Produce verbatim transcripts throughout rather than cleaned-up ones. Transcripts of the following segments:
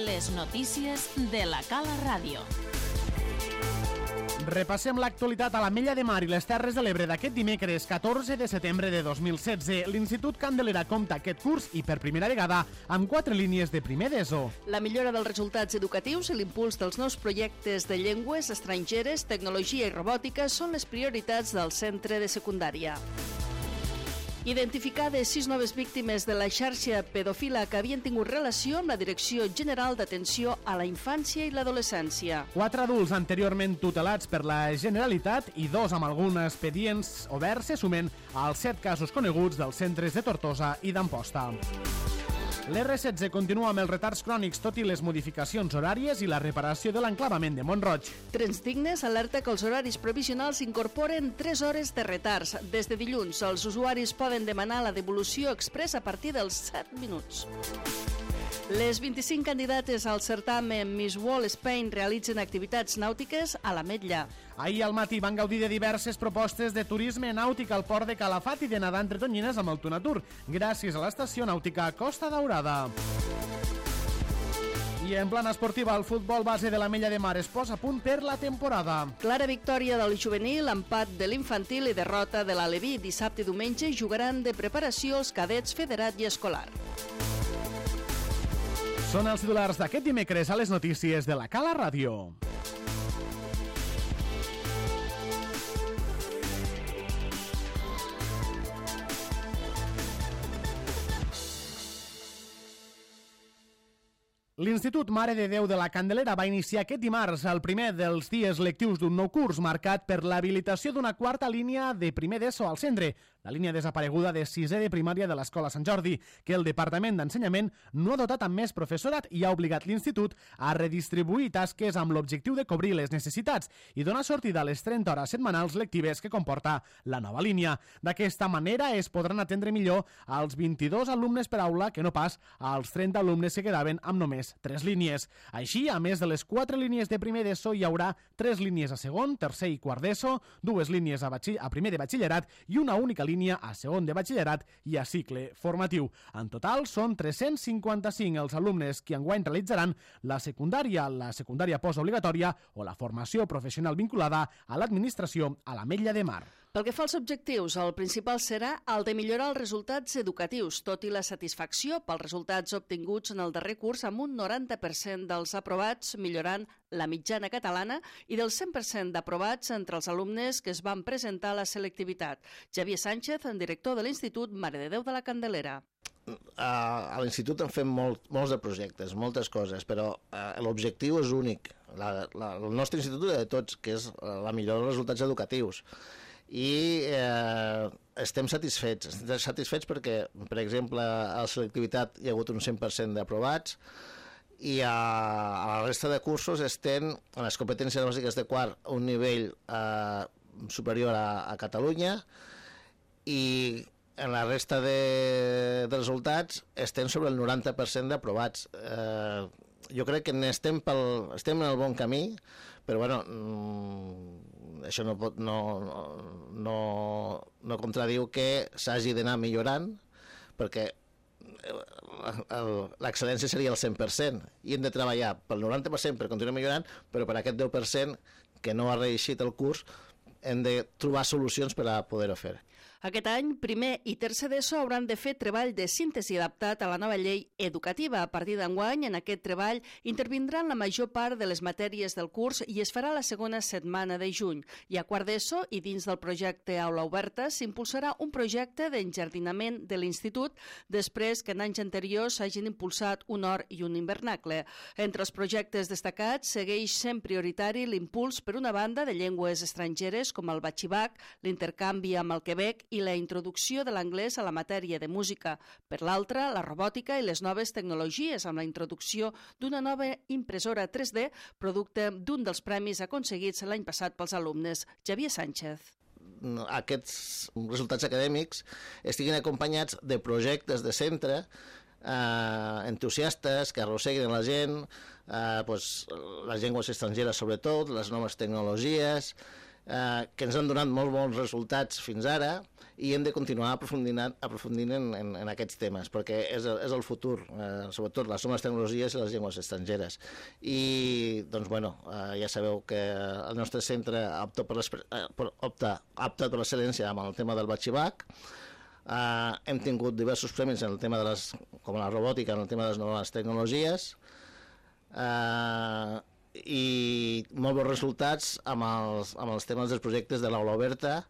Les notícies de la Cala Ràdio. Repassem l'actualitat a l'Ametlla de Mar i les Terres de l'Ebre d'aquest dimecres catorze de setembre de dos mil setze. L'Institut Candelera compta aquest curs i per primera vegada amb quatre línies de primer d'ESO. La millora dels resultats educatius i l'impuls dels nous projectes de llengües estrangeres, tecnologia i robòtica són les prioritats del centre de secundària. Identificades sis noves víctimes de la xarxa pedofila que havien tingut relació amb la Direcció General d'Atenció a la Infància i l'Adolescència. Quatre adults anteriorment tutelats per la Generalitat i dos amb alguns expedients oberts se sumen als set casos coneguts dels centres de Tortosa i d'Amposta. L'R setze continua amb els retards crònics, tot i les modificacions horàries i la reparació de l'enclavament de Mont-roig. Trens Dignes alerta que els horaris provisionals incorporen tres hores de retards. Des de dilluns, els usuaris poden demanar la devolució express a partir dels set minuts. Les vint-i-cinc candidates al certamen Miss World Spain realitzen activitats nàutiques a l'Ametlla. Ahir al matí van gaudir de diverses propostes de turisme nàutic al port de Calafat i de nedar entre tonyines amb el Tunatur, gràcies a l'estació nàutica Costa Daurada. I en plana esportiva, el futbol base de l'Ametlla de Mar es posa a punt per la temporada. Clara victòria del juvenil, empat de l'infantil i derrota de l'Aleví. Dissabte i diumenge jugaran de preparació els cadets federat i escolar. Són els titulars d'aquest dimecres a les notícies de la Cala Ràdio. L'Institut Mare de Déu de la Candelera va iniciar aquest dimarts el primer dels dies lectius d'un nou curs marcat per l'habilitació d'una quarta línia de primer d'ESO al centre, la línia desapareguda de sisè de primària de l'Escola Sant Jordi, que el Departament d'Ensenyament no ha dotat amb més professorat i ha obligat l'Institut a redistribuir tasques amb l'objectiu de cobrir les necessitats i donar sortida a les trenta hores setmanals lectives que comporta la nova línia. D'aquesta manera es podran atendre millor als vint-i-dos alumnes per aula que no pas als trenta alumnes que quedaven amb només tres línies. Així, a més de les quatre línies de primer d'ESO, hi haurà tres línies a segon, tercer i quart d'ESO, dues línies a, batxill... a primer de batxillerat i una única línia a segon de batxillerat i a cicle formatiu. En total, són tres-cents cinquanta-cinc els alumnes que enguany realitzaran la secundària, la secundària postobligatòria o la formació professional vinculada a l'administració a l'Ametlla de Mar. Pel que fa als objectius, el principal serà el de millorar els resultats educatius, tot i la satisfacció pels resultats obtinguts en el darrer curs amb un noranta per cent dels aprovats, millorant la mitjana catalana, i del cent per cent d'aprovats entre els alumnes que es van presentar a la selectivitat. Javier Sánchez, director de l'Institut Mare de Déu de la Candelera. A l'Institut han fet molt, molts de projectes, moltes coses, però uh, l'objectiu és únic. La, la, el nostre institut de tots, que és la millora dels resultats educatius. I eh, estem satisfets, estem satisfets perquè, per exemple, a la selectivitat hi ha hagut un cent per cent d'aprovats i a, a la resta de cursos estem en les competències bàsiques de quart a un nivell eh, superior a, a Catalunya i en la resta de, de resultats estem sobre el noranta per cent d'aprovats. Eh, jo crec que estem, pel, estem en el bon camí, però bueno, mm, això no, pot, no, no, no contradiu que s'hagi d'anar millorant, perquè l'excel·lència seria el cent per cent i hem de treballar pel noranta per cent per continuar millorant, però per aquest deu per cent que no ha reeixit el curs hem de trobar solucions per a poder-ho fer. Aquest any, primer i tercer d'ESO hauran de fer treball de síntesi adaptat a la nova llei educativa. A partir d'enguany, en aquest treball, intervindran la major part de les matèries del curs i es farà la segona setmana de juny. I a quart d'ESO, i dins del projecte Aula Oberta, s'impulsarà un projecte d'enjardinament de l'Institut després que en anys anteriors s'hagin impulsat un hort i un hivernacle. Entre els projectes destacats segueix sent prioritari l'impuls, per una banda, de llengües estrangeres com el batxibac, l'intercanvi amb el Quebec i la introducció de l'anglès a la matèria de música. Per l'altra, la robòtica i les noves tecnologies amb la introducció d'una nova impressora tres D, producte d'un dels premis aconseguits l'any passat pels alumnes. Javier Sánchez. Aquests resultats acadèmics estiguin acompanyats de projectes de centre eh, entusiastes que arrosseguin la gent, eh, pues, les llengües estrangeres sobretot, les noves tecnologies, eh, que ens han donat molt bons resultats fins ara i hem de continuar aprofundint, aprofundint en, en, en aquests temes, perquè és el, és el futur, eh, sobretot les noves tecnologies i les llengües estrangeres. I, doncs, bueno, eh, ja sabeu que el nostre centre opta per l'excel·lència amb el tema del batxibac. Uh, hem tingut diversos premis en el tema de les, com la robòtica, en el tema de les noves tecnologies, uh, i molt bons resultats amb els, amb els temes dels projectes de l'aula oberta.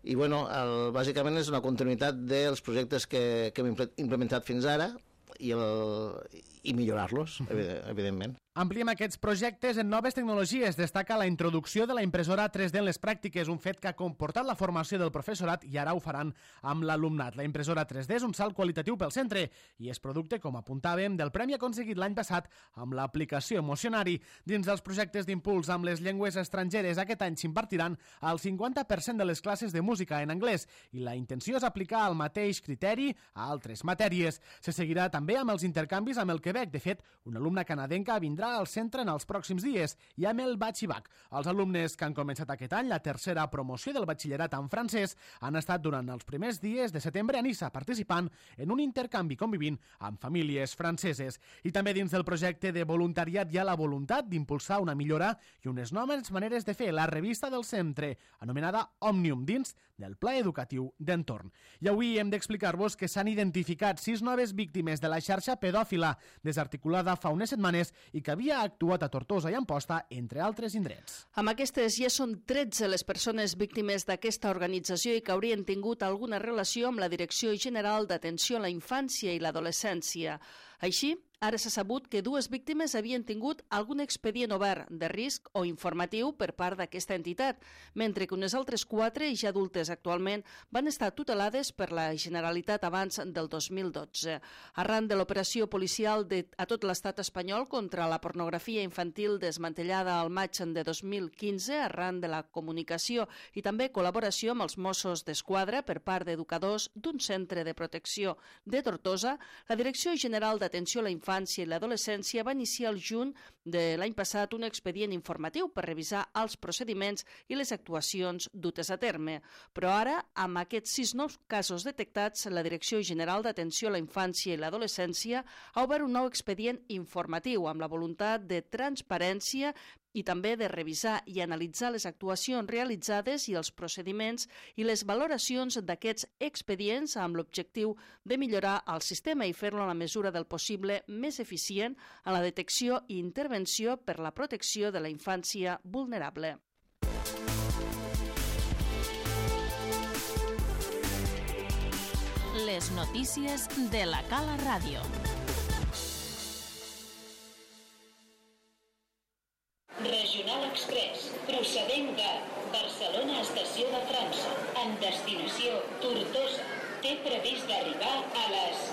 I bueno, el, bàsicament és una continuïtat dels projectes que, que hem implementat fins ara i, el, i millorar-los, evidentment. Ampliem aquests projectes en noves tecnologies. Destaca la introducció de la impressora tres D en les pràctiques, un fet que ha comportat la formació del professorat i ara ho faran amb l'alumnat. La impressora tres D és un salt qualitatiu pel centre i és producte, com apuntàvem, del premi aconseguit l'any passat amb l'aplicació Emocionari. Dins dels projectes d'impuls amb les llengües estrangeres, aquest any s'impartiran el cinquanta per cent de les classes de música en anglès i la intenció és aplicar el mateix criteri a altres matèries. Se seguirà també amb els intercanvis amb el Quebec. De fet, una alumna canadenca vindrà al centre en els pròxims dies i amb el batxibac. Els alumnes que han començat aquest any la tercera promoció del batxillerat en francès han estat durant els primers dies de setembre a Niça participant en un intercanvi convivint amb famílies franceses. I també dins del projecte de voluntariat hi ha la voluntat d'impulsar una millora i unes noves maneres de fer la revista del centre, anomenada Òmnium, dins del Pla Educatiu d'Entorn. I avui hem d'explicar-vos que s'han identificat sis noves víctimes de la xarxa pedòfila desarticulada fa unes setmanes i que havia actuat a Tortosa i Amposta, entre altres indrets. Amb aquestes ja són tretze les persones víctimes d'aquesta organització i que haurien tingut alguna relació amb la Direcció General d'Atenció a la Infància i l'Adolescència. Així, ara s'ha sabut que dues víctimes havien tingut algun expedient obert de risc o informatiu per part d'aquesta entitat, mentre que unes altres quatre, ja adultes actualment, van estar tutelades per la Generalitat abans del dos mil dotze. Arran de l'operació policial de, a tot l'estat espanyol contra la pornografia infantil desmantellada al maig de dos mil quinze, arran de la comunicació i també col·laboració amb els Mossos d'Esquadra per part d'educadors d'un centre de protecció de Tortosa, la Direcció General d'Atenció a la Infància i l'Adolescència va iniciar el juny de l'any passat un expedient informatiu per revisar els procediments i les actuacions dutes a terme. Però ara, amb aquests sis nous casos detectats, la Direcció General d'Atenció a la Infància i l'Adolescència ha obert un nou expedient informatiu amb la voluntat de transparència i també de revisar i analitzar les actuacions realitzades i els procediments i les valoracions d'aquests expedients amb l'objectiu de millorar el sistema i fer-lo en la mesura del possible més eficient en la detecció i intervenció per la protecció de la infància vulnerable. Les notícies de la Cala Ràdio. Regional Express, procedent de Barcelona Estació de França, en destinació Tortosa. Té previst d'arribar a les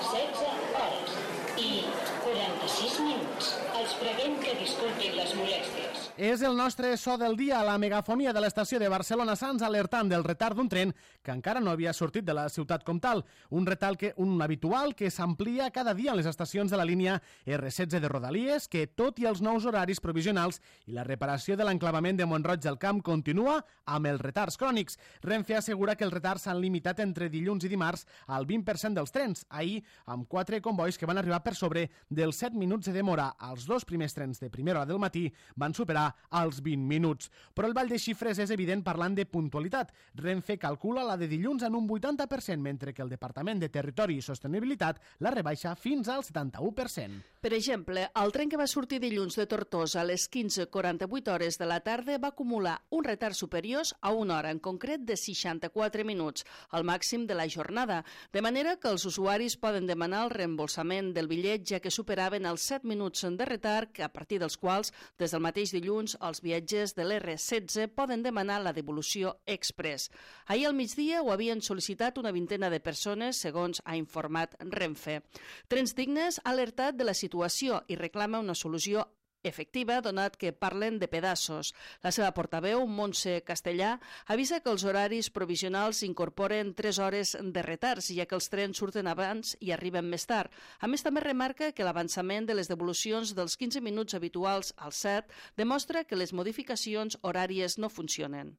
setze hores i quaranta-sis minuts. Els preguem que disculpin les molèsties. És el nostre so del dia, la megafonia de l'estació de Barcelona Sants alertant del retard d'un tren que encara no havia sortit de la ciutat com tal. Un retard que, un habitual que s'amplia cada dia en les estacions de la línia erre setze de Rodalies, que tot i els nous horaris provisionals i la reparació de l'enclavament de Mont-roig del Camp continua amb els retards crònics. Renfe assegura que els retards s'han limitat entre dilluns i dimarts al vint per cent dels trens. Ahir, amb quatre convois que van arribar per sobre dels set minuts de demora. Els dos primers trens de primera hora del matí van superar als vint minuts. Però el ball de xifres és evident parlant de puntualitat. Renfe calcula la de dilluns en un vuitanta per cent, mentre que el Departament de Territori i Sostenibilitat la rebaixa fins al setanta-u per cent. Per exemple, el tren que va sortir dilluns de Tortosa a les quinze quaranta-vuit hores de la tarda va acumular un retard superior a una hora, en concret de seixanta-quatre minuts, el màxim de la jornada, de manera que els usuaris poden demanar el reembolsament del bitllet ja que superaven els set minuts de retard, que a partir dels quals, des del mateix dilluns, els viatgers de l'erre setze poden demanar la devolució express. Ahir al migdia ho havien sol·licitat una vintena de persones, segons ha informat Renfe. Trens Dignes ha alertat de la situació i reclama una solució efectiva, donat que parlen de pedaços. La seva portaveu, Montse Castellà, avisa que els horaris provisionals incorporen tres hores de retards, ja que els trens surten abans i arriben més tard. A més, també remarca que l'avançament de les devolucions dels quinze minuts habituals als set demostra que les modificacions horàries no funcionen.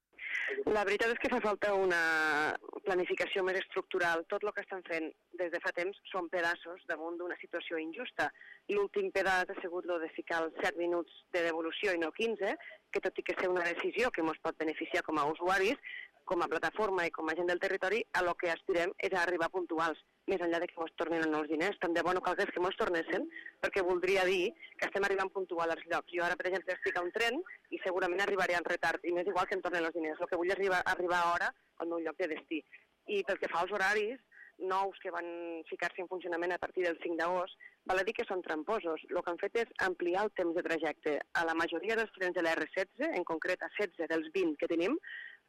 La veritat és que fa falta una planificació més estructural. Tot el que estan fent des de fa temps són pedaços damunt d'una situació injusta. L'últim pedaç ha sigut el de ficar els set minuts de devolució i no quinze, que tot i que ser una decisió que ens pot beneficiar com a usuaris, com a plataforma i com a gent del territori, a lo que aspirem és a arribar puntuals, més enllà de que ens tornin els diners. Tant de bo no calgués que ens tornessin, perquè voldria dir que estem arribant puntual als llocs. Jo ara, per exemple, estic a un tren i segurament arribaré en retard, i m'és igual que em tornen els diners. El que vull és arribar, arribar a hora al meu lloc de destí. I pel que fa als horaris nous que van ficar-se en funcionament a partir del cinc d'agost, val a dir que són tramposos. El que han fet és ampliar el temps de trajecte. A la majoria dels trens de la erre setze, en concret a setze dels vint que tenim,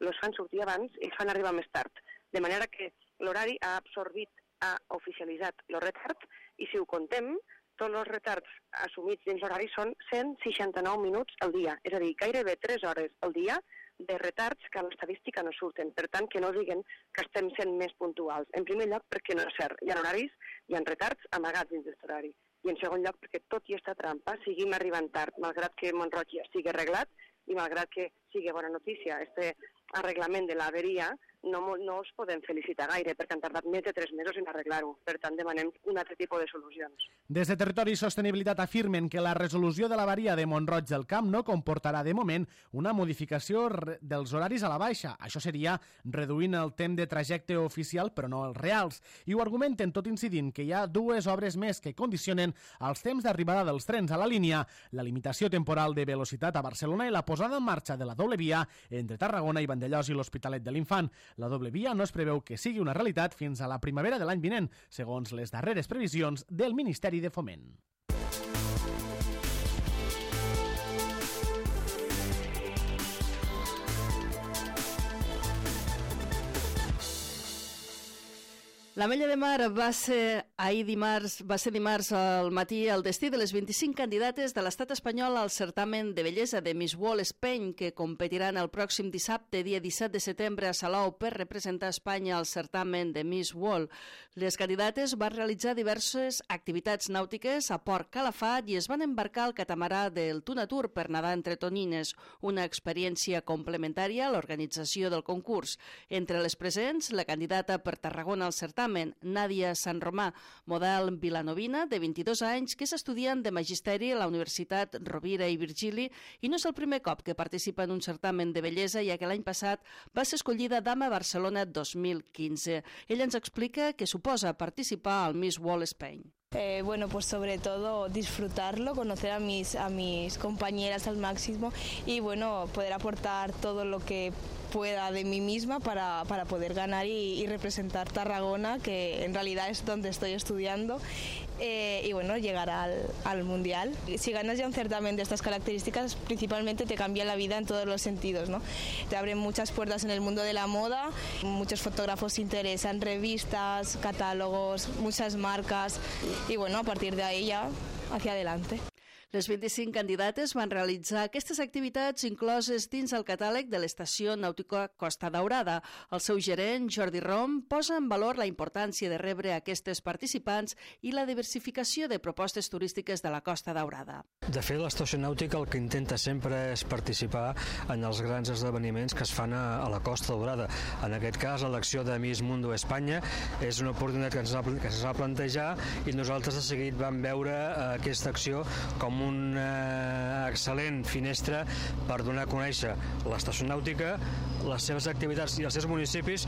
els fan sortir abans i els fan arribar més tard. De manera que l'horari ha absorbit, ha oficialitzat el retard, i si ho contem, tots els retards assumits dins l'horari són cent seixanta-nou minuts al dia, és a dir, gairebé tres hores al dia de retards que a l'estadística no surten. Per tant, que no diguen que estem sent més puntuals. En primer lloc, perquè no és cert. Hi ha horaris, hi ha retards amagats dins d'aquest horari. I en segon lloc, perquè tot i esta trampa seguim arribant tard, malgrat que Mont-roig ja sigui arreglat i malgrat que sigui bona notícia este arreglament de l'averia, no, no els podem felicitar gaire, perquè han tardat més de tres mesos en arreglar-ho. Per tant, demanem un altre tipus de solucions. Des de Territori i Sostenibilitat afirmen que la resolució de l'avaria de Mont-roig del Camp no comportarà, de moment, una modificació dels horaris a la baixa. Això seria reduint el temps de trajecte oficial, però no els reals. I ho argumenten tot incidint que hi ha dues obres més que condicionen els temps d'arribada dels trens a la línia, la limitació temporal de velocitat a Barcelona i la posada en marxa de la doble via entre Tarragona i Vandellòs i l'Hospitalet de l'Infant. La doble via no es preveu que sigui una realitat fins a la primavera de l'any vinent, segons les darreres previsions del Ministeri de Foment. L'Ametlla de Mar va ser ahir dimarts, va ser dimarts al matí el destí de les vint-i-cinc candidates de l'estat espanyol al certamen de bellesa de Miss World Spain, que competiran el pròxim dissabte, dia disset de setembre, a Salou per representar Espanya al certamen de Miss World. Les candidates van realitzar diverses activitats nàutiques a Port Calafat i es van embarcar al catamarà del Tunatur per nedar entre tonyines, una experiència complementària a l'organització del concurs. Entre les presents, la candidata per Tarragona al certamen, Nàdia Sant Romà, model vilanovina de vint-i-dos anys, que és estudiant de Magisteri a la Universitat Rovira i Virgili i no és el primer cop que participa en un certamen de bellesa, ja que l'any passat va ser escollida Dama Barcelona dos mil quinze. Ella ens explica què suposa participar al Miss World Spain. Eh, bueno, pues sobre todo disfrutarlo, conocer a mis, a mis compañeras al máximo y bueno, poder aportar todo lo que pueda de mí misma para, para poder ganar y, y representar Tarragona, que en realidad es donde estoy estudiando, eh, y bueno, llegar al, al Mundial. Si ganas ya un certamen de estas características, principalmente te cambia la vida en todos los sentidos, ¿no? Te abren muchas puertas en el mundo de la moda, muchos fotógrafos se interesan, revistas, catálogos, muchas marcas, y bueno, a partir de ahí ya hacia adelante. Les vint-i-cinc candidates van realitzar aquestes activitats incloses dins el catàleg de l'Estació Nàutica Costa Daurada. El seu gerent, Jordi Rom, posa en valor la importància de rebre aquestes participants i la diversificació de propostes turístiques de la Costa Daurada. De fet, l'Estació Nàutica el que intenta sempre és participar en els grans esdeveniments que es fan a, a la Costa Daurada. En aquest cas, l'elecció de Miss Mundo Espanya és una oportunitat que ens va, que ens va plantejar i nosaltres de seguit vam veure eh, aquesta acció com una excel·lent finestra per donar a conèixer l'Estació Nàutica, les seves activitats i els seus municipis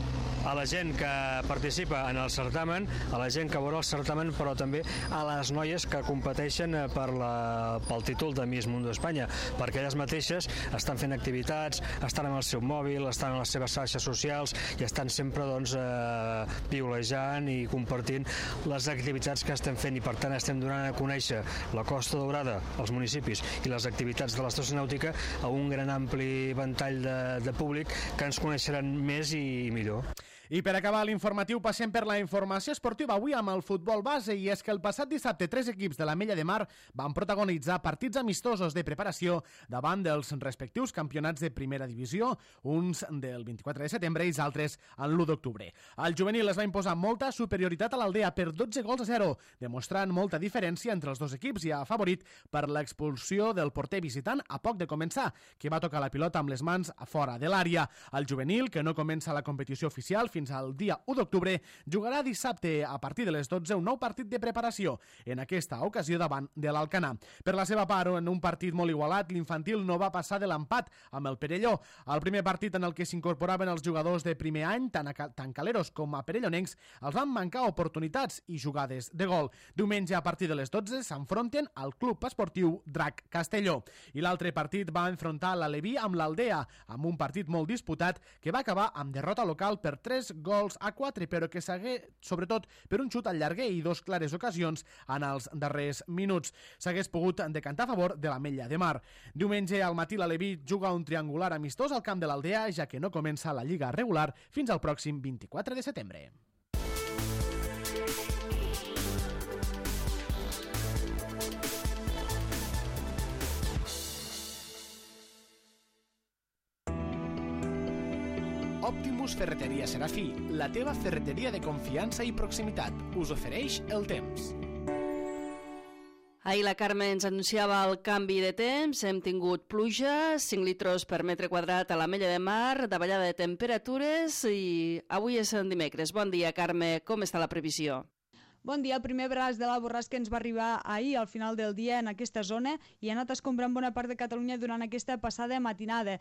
a la gent que participa en el certamen, a la gent que veurà el certamen, però també a les noies que competeixen per la, pel títol de Miss Mundo Espanya, perquè elles mateixes estan fent activitats, estan amb el seu mòbil, estan en les seves xarxes socials i estan sempre doncs, eh, piulejant i compartint les activitats que estem fent i per tant estem donant a conèixer la Costa Daurada, els municipis i les activitats de l'Estació Nàutica a un gran ampli ventall de, de públic que ens coneixeran més i millor. I per acabar l'informatiu passem per la informació esportiva avui amb el futbol base, i és que el passat dissabte tres equips de l'Ametlla de Mar van protagonitzar partits amistosos de preparació davant dels respectius campionats de primera divisió, uns del vint-i-quatre de setembre i els altres en l'u d'octubre. El juvenil es va imposar molta superioritat a l'Aldea per dotze gols a zero, demostrant molta diferència entre els dos equips i afavorit per l'expulsió del porter visitant a poc de començar, que va tocar la pilota amb les mans a fora de l'àrea. El juvenil, que no comença la competició oficial fins al dia u d'octubre, jugarà dissabte a partir de les dotze un nou partit de preparació, en aquesta ocasió davant de l'Alcanar. Per la seva part, en un partit molt igualat, l'infantil no va passar de l'empat amb el Perelló. El primer partit en el que s'incorporaven els jugadors de primer any, tant, a, tant caleros com a perellonencs, els van mancar oportunitats i jugades de gol. Diumenge a partir de les dotze s'enfronten al Club Esportiu Drac Castelló. I l'altre partit va enfrontar l'Aleví amb l'Aldea, amb un partit molt disputat que va acabar amb derrota local per tres gols a quatre, però que s'hagué, sobretot per un xut al llarguer i dos clares ocasions en els darrers minuts. S'hagués pogut decantar a favor de l'Ametlla de Mar. Diumenge al matí l'Aleví juga un triangular amistós al camp de l'Aldea, ja que no comença la lliga regular fins al pròxim vint-i-quatre de setembre. Optimus Ferreteria Serafí, la teva ferreteria de confiança i proximitat, us ofereix el temps. Ahir la Carme ens anunciava el canvi de temps, hem tingut pluja, cinc litros per metre quadrat a l'Ametlla de Mar, davallada de temperatures i avui és en dimecres. Bon dia, Carme, com està la previsió? Bon dia. El primer braç de la borrasca ens va arribar ahir al final del dia en aquesta zona i ha anat escombrant bona part de Catalunya durant aquesta passada matinada.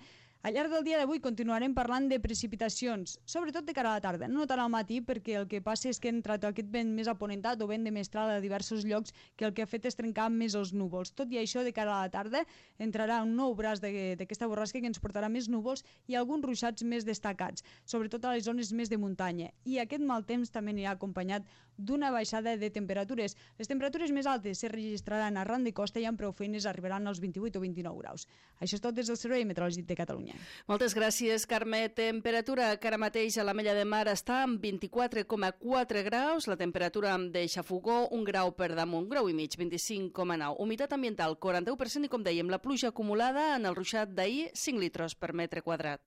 Al llarg del dia d'avui continuarem parlant de precipitacions, sobretot de cara a la tarda, no tant al matí, perquè el que passa és que ha entrat aquest vent més aponentat o vent de mestral a diversos llocs que el que ha fet és trencar més els núvols. Tot i això, de cara a la tarda entrarà un nou braç d'aquesta borrasca que ens portarà més núvols i alguns ruixats més destacats, sobretot a les zones més de muntanya. I aquest mal temps també anirà acompanyat d'una baixada de temperatures. Les temperatures més altes se registraran arran de costa i amb prou feines arribaran als vint-i-vuit o vint-i-nou graus. Això és tot des del Servei Meteorològic de Catalunya. Moltes gràcies, Carme. Temperatura que ara mateix a l'Ametlla de Mar està en vint-i-quatre coma quatre graus, la temperatura de xafogó un grau per damunt, un grau i mig, vint-i-cinc coma nou. Humitat ambiental, quaranta-u per cent i com dèiem, la pluja acumulada en el ruixat d'ahir, cinc litros per metre quadrat.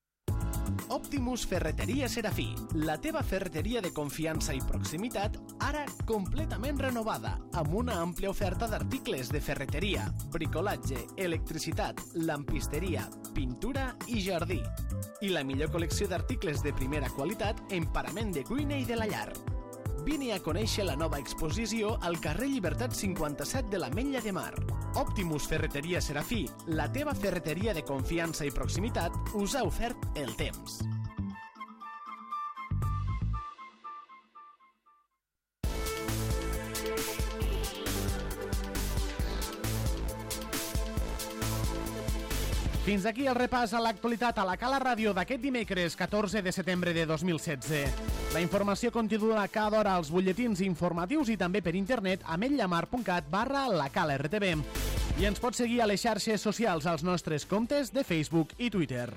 Optimus Ferreteria Serafí, la teva ferreteria de confiança i proximitat, ara completament renovada, amb una àmplia oferta d'articles de ferreteria, bricolatge, electricitat, lampisteria, pintura i jardí. I la millor col·lecció d'articles de primera qualitat en parament de cuina i de la llar. Vine a conèixer la nova exposició al carrer Llibertat cinquanta-set de l'Ametlla de Mar. Optimus Ferreteria Serafí, la teva ferreteria de confiança i proximitat, us ha ofert el temps. Fins aquí el repàs a l'actualitat a la Cala Ràdio d'aquest dimecres catorze de setembre de dos mil setze. La informació continua cada hora als butlletins informatius i també per internet a ametlla-mar punt cat barra la Cala R T V. I ens pot seguir a les xarxes socials als nostres comptes de Facebook i Twitter.